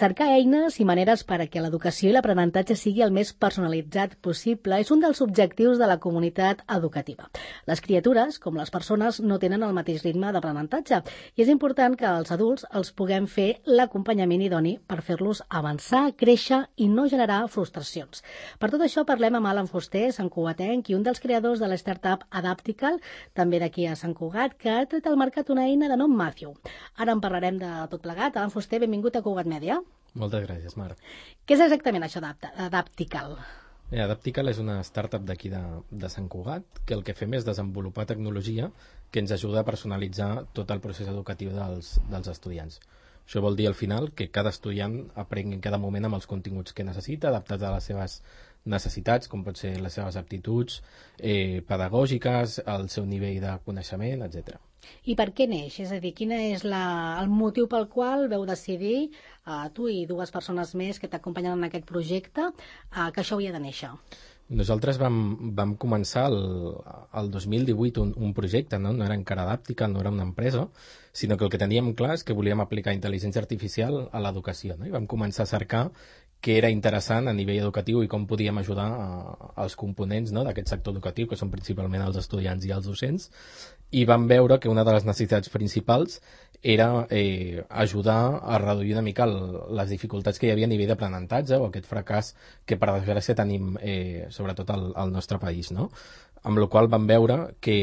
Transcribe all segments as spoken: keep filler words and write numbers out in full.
Cercar eines i maneres perquè l'educació i l'aprenentatge sigui el més personalitzat possible és un dels objectius de la comunitat educativa. Les criatures, com les persones, no tenen el mateix ritme d'aprenentatge i és important que els adults els puguem fer l'acompanyament idoni per fer-los avançar, créixer i no generar frustracions. Per tot això parlem amb Alan Fuster, santcugatenc i un dels creadors de la startup Adaptical, també d'aquí a Sant Cugat, que ha tret al mercat una eina de nom Matthew. Ara en parlarem de tot plegat. Alan Fuster, benvingut a Cugat Mèdia. Moltes gràcies, Marc. Què és exactament això d'Adaptical? Eh, Adaptical és una startup d'aquí de, de Sant Cugat que el que fem és desenvolupar tecnologia que ens ajuda a personalitzar tot el procés educatiu dels, dels estudiants. Això vol dir al final que cada estudiant aprengui en cada moment amb els continguts que necessita, adaptats a les seves necessitats, com pot ser les seves aptituds eh, pedagògiques, el seu nivell de coneixement, etcètera. I per què neix? És a dir, quin és la, el motiu pel qual veu decidir, eh, tu i dues persones més que t'acompanyen en aquest projecte, eh, que això havia de néixer? Nosaltres vam, vam començar el, el dos mil divuit un, un projecte, no? no era encara Adaptical, no era una empresa, sinó que el que teníem clar és que volíem aplicar intel·ligència artificial a l'educació, no? I vam començar a cercar què era interessant a nivell educatiu i com podíem ajudar a, als components, no? d'aquest sector educatiu, que són principalment els estudiants i els docents, i vam veure que una de les necessitats principals era eh, ajudar a reduir una mica el, les dificultats que hi havia a nivell d'aprenentatge o aquest fracàs que per desgràcia tenim eh, sobretot al, al nostre país, no? Amb la qual vam veure que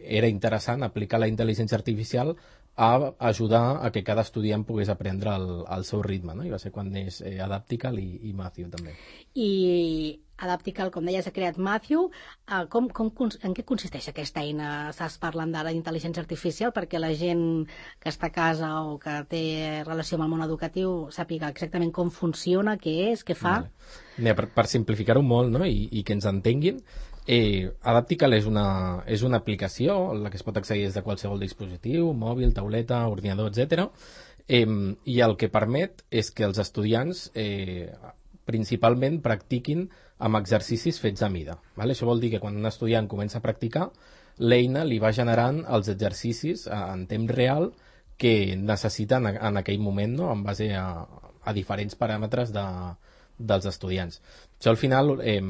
era interessant aplicar la intel·ligència artificial a ajudar a que cada estudiant pogués aprendre al, al seu ritme, no? I va ser quan neix eh, Adaptical i, i Matthew també. I Adaptical, com deies, ha creat Matthew. Uh, com, com, en què consisteix aquesta eina? Estàs parlant d'ara d'intel·ligència artificial perquè la gent que està a casa o que té relació amb el món educatiu sàpiga exactament com funciona, què és, què fa? Vale. Mira, per, per simplificar-ho molt, no? I, i que ens entenguin, Eh, Adaptical és una, és una aplicació en la que es pot accedir des de qualsevol dispositiu, mòbil, tauleta, ordinador, etcètera. Eh, I el que permet és que els estudiants eh, principalment practiquin amb exercicis fets a mida. Vale? Això vol dir que quan un estudiant comença a practicar, l'eina li va generant els exercicis en temps real que necessiten en, en aquell moment, no? En base a, a diferents paràmetres de dels estudiants. Això al final, eh,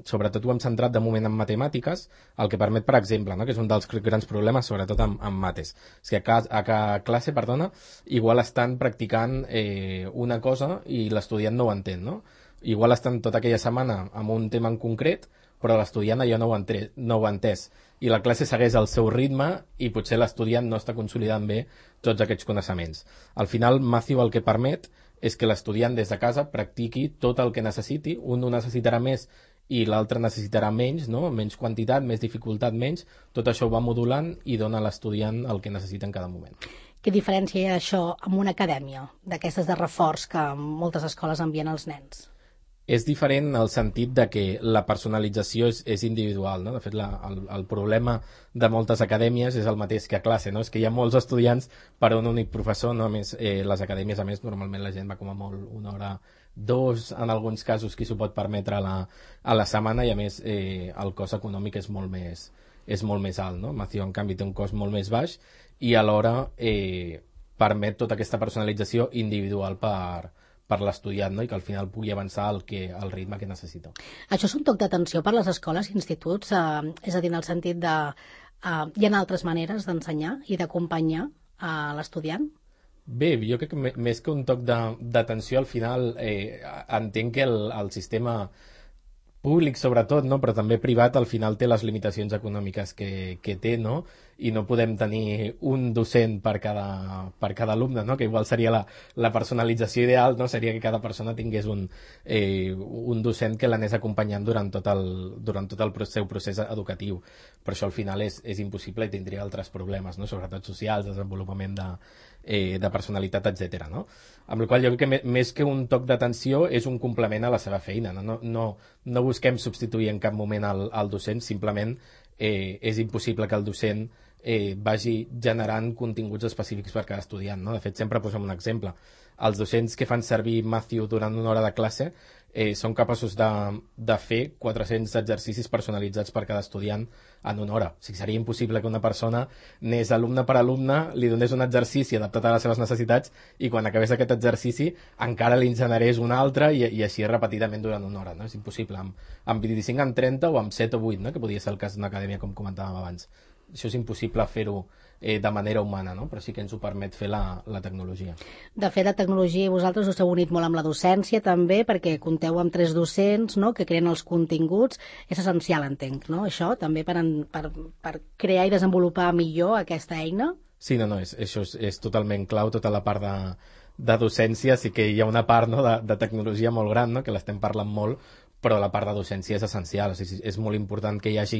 sobretot ho hem centrat de moment en matemàtiques, el que permet, per exemple, no? que és un dels grans problemes, sobretot en, en mates, és que a, ca, a, a classe, perdona, igual estan practicant eh, una cosa i l'estudiant no ho entén, no? Igual estan tota aquella setmana amb un tema en concret, però l'estudiant allò no ho, entre, no ho ha entès, i la classe segueix el seu ritme i potser l'estudiant no està consolidant bé tots aquests coneixements. Al final, Matthew el que permet és que l'estudiant des de casa practiqui tot el que necessiti, un ho necessitarà més i l'altre necessitarà menys, no? Menys quantitat, més dificultat, menys, tot això ho va modulant i dona a l'estudiant el que necessita en cada moment. Què diferència hi ha això amb una acadèmia, d'aquestes de reforç que moltes escoles envien als nens? És diferent en el sentit de que la personalització és, és individual, no? De fet, la, el, el problema de moltes acadèmies és el mateix que a classe, no? És que hi ha molts estudiants per a un únic professor, no? A més, eh, les acadèmies, a més, normalment la gent va com a molt una hora, dos, en alguns casos, qui s'ho pot permetre a la, a la setmana, i a més eh, el cost econòmic és molt més, és molt més alt, no? Matthew, en canvi, té un cost molt més baix i alhora eh, permet tota aquesta personalització individual per per l'estudiant, no? I que al final pugui avançar al, que, al ritme que necessita. Això és un toc d'atenció per les escoles i instituts, eh, és a dir, en el sentit de... Eh, hi ha altres maneres d'ensenyar i d'acompanyar a l'estudiant? Bé, jo crec que més que un toc d'atenció, al final eh, entenc que el, el sistema públic sobretot, no? Però també privat, al final té les limitacions econòmiques que, que té, no? I no podem tenir un docent per cada, per cada alumne, no? Que igual seria la, la personalització ideal, no? Seria que cada persona tingués un, eh, un docent que l'anés acompanyant durant tot el, durant tot el seu procés educatiu. Però això al final és, és impossible i tindria altres problemes, no? Sobretot socials, desenvolupament de, eh, de personalitat, etcètera, no? Amb la qual jo crec que més que un toc d'atenció és un complement a la seva feina, no? No, no, no busquem substituir en cap moment el, el docent, simplement eh, és impossible que el docent eh, vagi generant continguts específics per cada estudiant, no? De fet, sempre posem un exemple. Els docents que fan servir Matthew durant una hora de classe eh, són capaços de, de fer quatre-cents exercicis personalitzats per cada estudiant en una hora. O sigui, seria impossible que una persona anés alumne per alumne, li donés un exercici adaptat a les seves necessitats i quan acabés aquest exercici encara li en generés un altre i, i així repetidament durant una hora. No? És impossible. Amb, amb vint-i-cinc, amb trenta o amb set o vuit, no? Que podria ser el cas d'una acadèmia com comentàvem abans. Això és impossible fer-ho eh, de manera humana, no? Però sí que ens ho permet fer la, la tecnologia. De fet, la tecnologia, vosaltres us heu unit molt amb la docència també, perquè compteu amb tres docents, no?, que creen els continguts. És essencial, entenc, no?, això també per, en, per, per crear i desenvolupar millor aquesta eina? Sí, no, no, és, això és, és totalment clau, tota la part de, de docència. Sí que hi ha una part, no?, de, de tecnologia molt gran, no?, que l'estem parlant molt, però la part de docència és essencial. O sigui, és molt important que hi hagi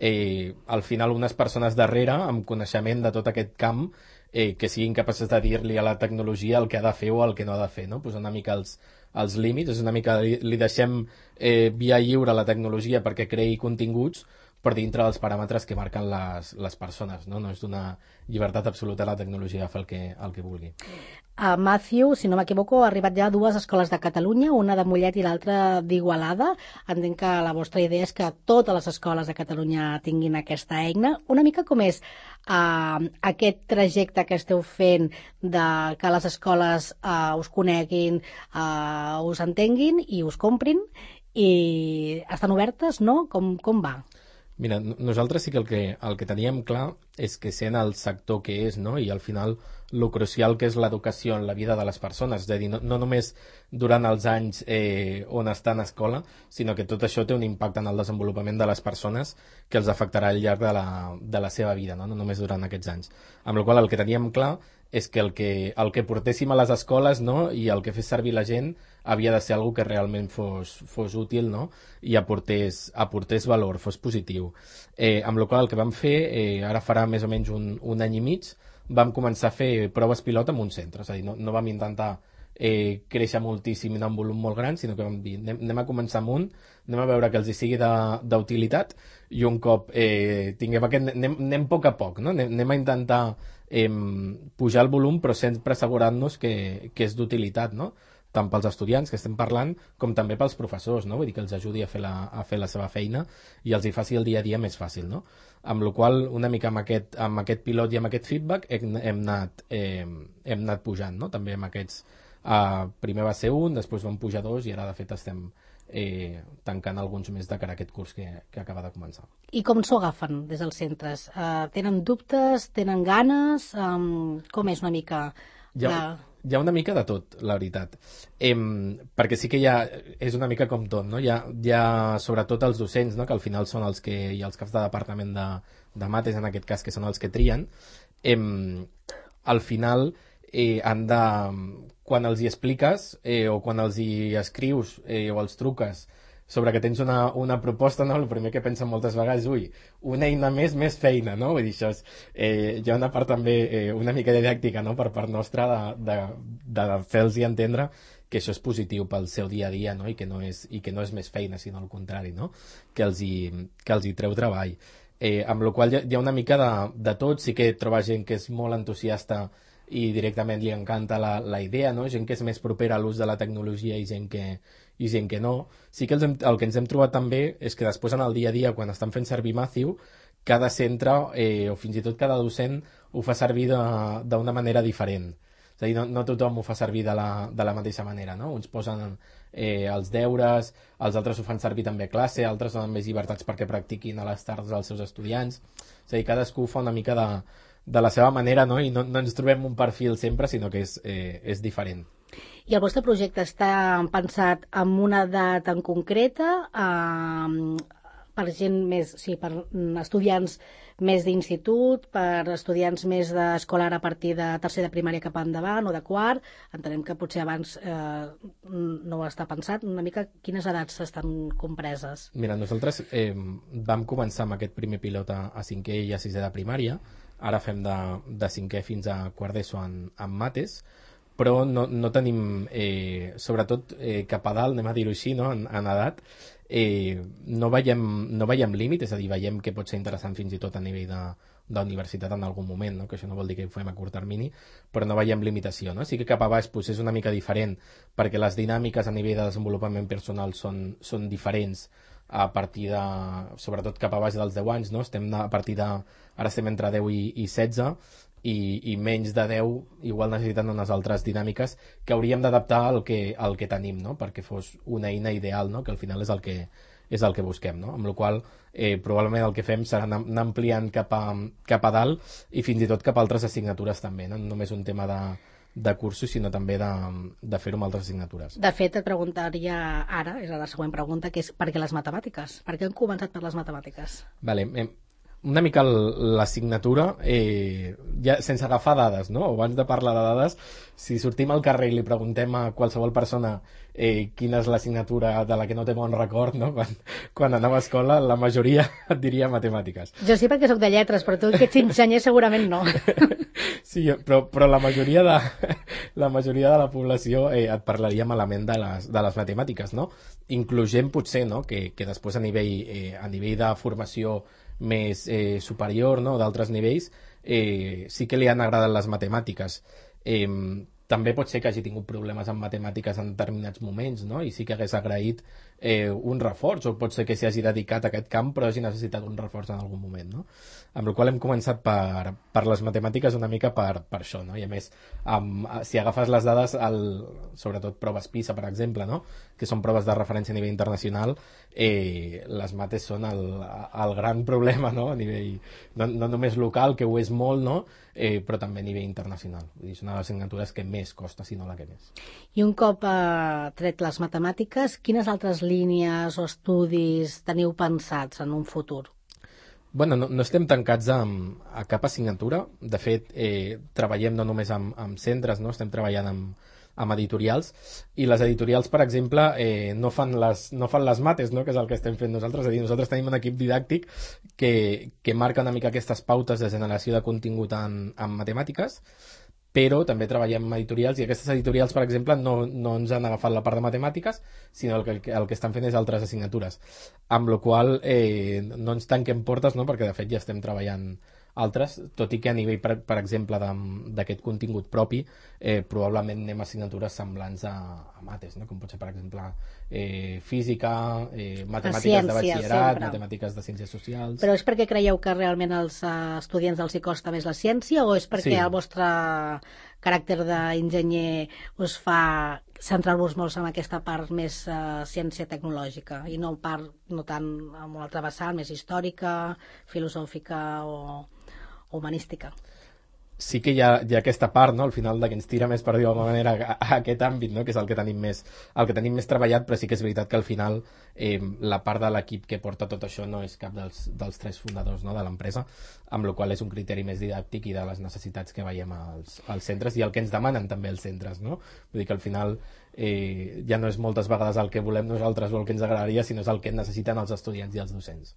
eh, al final unes persones darrere amb coneixement de tot aquest camp eh, que siguin capaces de dir-li a la tecnologia el que ha de fer o el que no ha de fer, no? Posar una mica els, els límits, és una mica li, li deixem eh, via lliure a la tecnologia perquè creï continguts, per dintre dels paràmetres que marquen les, les persones, no? No és d'una llibertat absoluta la tecnologia de fer el que, el que vulgui. Uh, Matthew, si no m'equivoco, ha arribat ja a dues escoles de Catalunya, una de Mollet i l'altra d'Igualada. Entenc que la vostra idea és que totes les escoles de Catalunya tinguin aquesta eina. Una mica com és uh, aquest trajecte que esteu fent de que les escoles uh, us coneguin, uh, us entenguin i us comprin, i estan obertes, no? Com, com va? Mira, nosaltres sí que el que, el que teníem clar és que sent el sector que és, no?, i al final el crucial que és l'educació en la vida de les persones, és a dir, no, no només durant els anys eh, on estan a escola, sinó que tot això té un impacte en el desenvolupament de les persones que els afectarà al llarg de la, de la seva vida, no? No només durant aquests anys. Amb la qual cosa el que teníem clar és que el que, el que portéssim a les escoles, no?, i el que fes servir la gent havia de ser algo que realment fos, fos útil, no?, i aportés, aportés valor, fos positiu. Eh, amb la qual cosa el que vam fer, eh, ara farà més o menys un, un any i mig, vam començar a fer proves pilot en un centre, és a dir, no, no vam intentar eh, créixer moltíssim en un volum molt gran, sinó que vam dir, anem, anem a començar amb un, anem a veure que els hi sigui d'utilitat, i un cop eh, tinguem aquest, anem, anem a poc a poc, no? anem, anem a intentar eh, pujar el volum, però sempre assegurant-nos que, que és d'utilitat, no?, tant pels estudiants que estem parlant com també pels professors, no? Vull dir que els ajudi a fer, la, a fer la seva feina i els hi faci el dia a dia més fàcil, no? Amb la qual una mica amb aquest, amb aquest pilot i amb aquest feedback hem, hem, anat, eh, hem anat pujant, no? També amb aquests, eh, primer va ser un, després vam pujar dos i ara de fet estem eh, tancant alguns més de cara a aquest curs que, que acaba de començar. I com s'ho agafen des dels centres? Uh, tenen dubtes? Tenen ganes? Um, com és una mica... Ja, la... Hi ha una mica de tot, la veritat. Em, perquè sí que hi ha, és una mica com tot, no? Hi ha, hi ha sobretot els docents, no?, que al final són els que, i els caps de departament de, de mates, en aquest cas, que són els que trien. Em, al final, eh, han de, quan els hi expliques eh, o quan els hi escrius eh, o els truques sobre que tens una, una proposta, no? El primer que pensen moltes vegades, ui, una eina més, més feina, no? Vull dir, això és, eh, hi ha una part també, eh, una mica didàctica, no?, per part nostra de, de, de fer-los entendre que això és positiu pel seu dia a dia, no?, i que no és, i que no és més feina, sinó al contrari, no?, que els hi, que els hi treu treball. Eh, amb la qual hi ha, hi ha una mica de, de tot, sí que troba gent que és molt entusiasta i directament li encanta la, la idea, no?, gent que és més propera a l'ús de la tecnologia i gent que, i gent que no. Sí que els hem, el que ens hem trobat també és que després en el dia a dia, quan estan fent servir Matthew, cada centre eh, o fins i tot cada docent ho fa servir d'una manera diferent. És a dir, no, no tothom ho fa servir de la, de la mateixa manera, no? Uns posen eh, els deures, els altres ho fan servir també a classe, altres donen més llibertats perquè practiquin a les tardes els seus estudiants. És a dir, cadascú fa una mica de, de la seva manera, no? I no, no ens trobem un perfil sempre, sinó que és, eh, és diferent. I el vostre projecte està pensat en una edat en concreta, eh, per gent més, sí, per estudiants més d'institut, per estudiants més d'escolar a partir de tercer de primària cap endavant o de quart? Entenem que potser abans eh, no està pensat. Una mica quines edats estan compreses? Mira, nosaltres eh, vam començar amb aquest primer pilot a, a cinquè i a sisè de primària. Ara fem de, de cinquè fins a quart d'ESO en, en mates, però no, no tenim, eh, sobretot eh, cap a dalt, anem a dir-ho així, no?, en, en edat, eh, no veiem, no veiem límit, és a dir, veiem que pot ser interessant fins i tot a nivell de, d'universitat en algun moment, no? Que això no vol dir que ho fem a curt termini, però no veiem limitació, no? Sí que cap a baix pues, és una mica diferent, perquè les dinàmiques a nivell de desenvolupament personal són, són diferents a partir de, sobretot cap a baix dels deu anys, no? Estem a partir de, ara estem entre deu i, i setze, i, i menys de deu igual necessiten unes altres dinàmiques que hauríem d'adaptar al que, al que tenim, no? Perquè fos una eina ideal, no? Que al final és el que, és el que busquem, no? Amb la qual eh, probablement el que fem serà anar, anar ampliant cap a, cap a dalt i fins i tot cap a altres assignatures també, no? No només un tema de, de cursos, sinó també de, de fer-ho amb altres assignatures. De fet, et preguntaria ara, és la següent pregunta, que és per què les matemàtiques? Per què hem començat per les matemàtiques? Vale, eh, una mica l'assignatura, eh, ja, sense agafar dades, no? Abans de parlar de dades, si sortim al carrer i li preguntem a qualsevol persona eh, quina és l'assignatura de la que no té bon record, no? Quan, quan anava a escola, la majoria et diria matemàtiques. Jo sí, perquè sóc de lletres, però tu que ets enginyer segurament no. Sí, però, però la majoria de la majoria de la població eh, et parlaria malament de les, de les matemàtiques, no? Inclugent potser, no? Que, que després a nivell, eh, a nivell de formació més eh, superior, no? D'altres nivells, eh, sí que li han agradat les matemàtiques. Eh, també pot ser que hagi tingut problemes amb matemàtiques en determinats moments, no? I sí que hagués agraït eh, un reforç, o pot ser que s'hi hagi dedicat a aquest camp però hagi necessitat un reforç en algun moment, no? Amb la qual hem començat per, per les matemàtiques una mica per, per això, no? I a més, amb, si agafes les dades, el, sobretot proves PISA, per exemple, no? Que són proves de referència a nivell internacional, eh, les mates són el, el gran problema, no? A nivell, no, no només local, que ho és molt, no? Eh, però també a nivell internacional. Vull dir, és una de les assignatures que més costa, si no la que més. I un cop eh, tret les matemàtiques, quines altres línies o estudis teniu pensats en un futur? Bueno, no, no estem tancats a, a cap assignatura. De fet, eh, treballem no només amb, amb centres, no? Estem treballant amb, amb editorials, i les editorials, per exemple, eh, no, fan les, no fan les mates, no? Que és el que estem fent nosaltres. És a dir, nosaltres tenim un equip didàctic que, que marca una mica aquestes pautes de generació de contingut en, en matemàtiques, però també treballem amb editorials, i aquestes editorials, per exemple, no, no ens han agafat la part de matemàtiques, sinó el que, el que estan fent és altres assignatures, amb la qual eh, no ens tanquem portes, no? Perquè de fet ja estem treballant altres, tot i que a nivell, per, per exemple, d'aquest contingut propi, eh, probablement anem a assignatures semblants a, a mates, no? Com pot ser, per exemple, eh, física, eh, matemàtiques ciència, de batxillerat, sempre. Matemàtiques de ciències socials... Però és perquè creieu que realment als uh, estudiants els hi costa més la ciència, o és perquè sí. El vostre caràcter d'enginyer us fa centrar-vos molt en aquesta part més uh, ciència tecnològica i no, part, no tant en una altra vessant més històrica, filosòfica o humanística? Sí que hi ha, hi ha aquesta part, no? Al final, de que ens tira més, per dir-ho d'alguna manera, a, a aquest àmbit, no? Que és el que tenim més, el que tenim més treballat, però sí que és veritat que al final eh, la part de l'equip que porta tot això no és cap dels, dels tres fundadors, no? De l'empresa, amb la qual és un criteri més didàctic i de les necessitats que veiem als, als centres i el que ens demanen també els centres, no? Vull dir que al final eh, ja no és moltes vegades el que volem nosaltres o el que ens agradaria, sinó és el que necessiten els estudiants i els docents.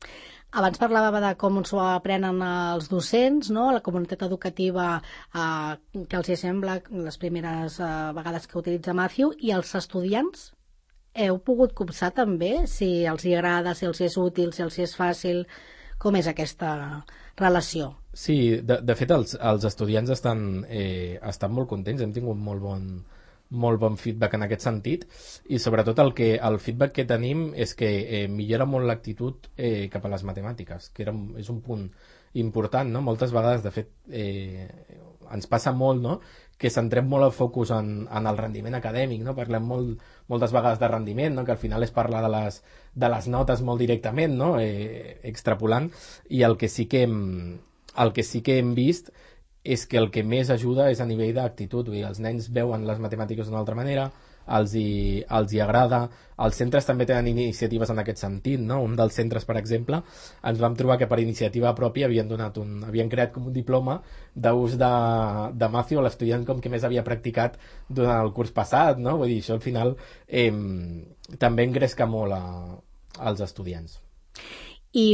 Abans parlàvem de com s'ho aprenen els docents, no? La comunitat educativa, eh, que els hi sembla les primeres eh, vegades que utilitza Matthew, i els estudiants heu pogut copsar també si els hi agrada, si els hi és útil, si els hi és fàcil, com és aquesta relació? Sí, de, de fet els, els estudiants estan, eh, estan molt contents, hem tingut molt bon molt bon feedback en aquest sentit, i sobretot el, que, el feedback que tenim és que eh, millora molt l'actitud eh, cap a les matemàtiques, que era, és un punt important, no? Moltes vegades, de fet, eh, ens passa molt, no? Que centrem molt el focus en, en el rendiment acadèmic, no? Parlem molt, moltes vegades de rendiment, no? Que al final és parlar de les, de les notes molt directament, no? Eh, extrapolant, i el que sí que hem, el que sí que hem vist és que el que més ajuda és a nivell d'actitud. Vull dir, els nens veuen les matemàtiques d'una altra manera, els hi, els hi agrada, els centres també tenen iniciatives en aquest sentit, no? Un dels centres, per exemple, ens vam trobar que per iniciativa pròpia havien, donat un, havien creat com un diploma d'ús de, de Matthew a l'estudiant com que més havia practicat durant el curs passat, no? Vull dir, això al final eh, també engresca molt a, als estudiants. I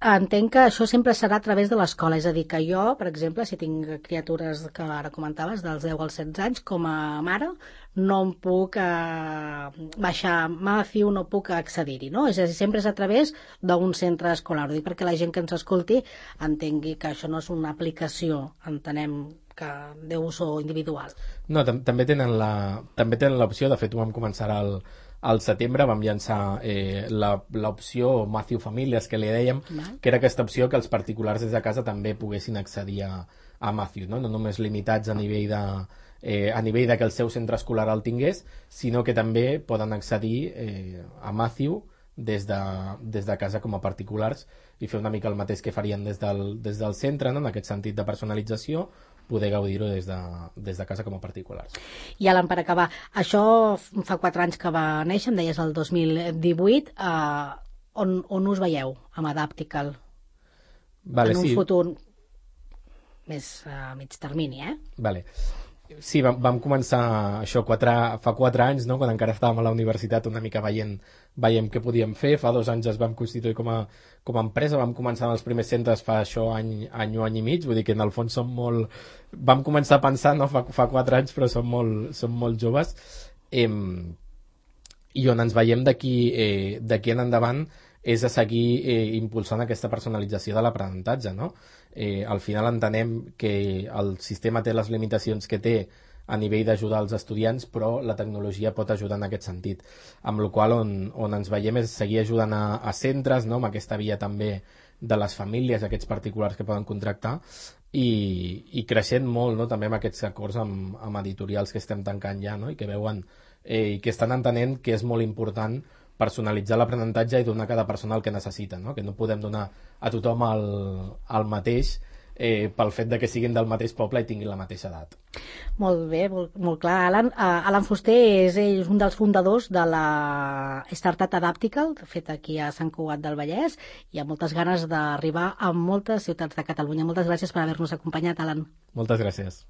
entenc que això sempre serà a través de l'escola, és a dir, que jo, per exemple, si tinc criatures que ara comentaves, dels deu als setze anys, com a mare, no em puc eh, baixar Matthew, no puc accedir-hi, no? És a dir, sempre és a través d'un centre escolar. Ho dic perquè la gent que ens escolti entengui que això no és una aplicació, entenem que d'ús individual. No, tam també tenen la també tenen l'opció, de fet ho vam començar al, al setembre, vam llançar eh, l'opció Matthew Famílies, que li dèiem, Val. que era aquesta opció que els particulars des de casa també poguessin accedir a, a Matthew, no? No només limitats a nivell de eh, a nivell de que el seu centre escolar el tingués, sinó que també poden accedir eh, a Matthew des de, des de casa com a particulars i fer una mica el mateix que farien des del, des del centre, no? En aquest sentit de personalització, poder gaudir-ho des, de, des de casa com a particulars. I Alan, per acabar, això fa quatre anys que va néixer, em deies el dos mil divuit, eh, on, on us veieu amb Adaptical? Vale, en un sí. futur més a mig termini, eh? Vale. Sí, vam, vam començar això quatre, fa quatre anys, no? Quan encara estàvem a la universitat una mica veient, veient què podíem fer. Fa dos anys es vam constituir com a, com a empresa, vam començar en els primers centres fa això any, any o any i mig, vull dir que en el fons som molt... Vam començar a pensar, no? Fa, fa quatre anys, però som molt, som molt joves. Eh, I on ens veiem d'aquí eh, d'aquí en endavant és a seguir eh, impulsant aquesta personalització de l'aprenentatge, no? Eh, al final entenem que el sistema té les limitacions que té a nivell d'ajudar els estudiants, però la tecnologia pot ajudar en aquest sentit. Amb la qual on, on ens veiem és seguir ajudant a, a centres, no? Amb aquesta via també de les famílies, aquests particulars que poden contractar, i, i creixent molt, no? També amb aquests acords amb, amb editorials que estem tancant ja, no? I que veuen eh, i que estan entenent que és molt important personalitzar l'aprenentatge i donar a cada persona el que necessita, no? Que no podem donar a tothom el, el mateix eh, pel fet de que siguin del mateix poble i tinguin la mateixa edat. Molt bé, molt, molt clar. Alan, uh, Alan Fuster és, és un dels fundadors de la startup Adaptical, feta aquí a Sant Cugat del Vallès, i amb moltes ganes d'arribar a moltes ciutats de Catalunya. Moltes gràcies per haver-nos acompanyat, Alan. Moltes gràcies.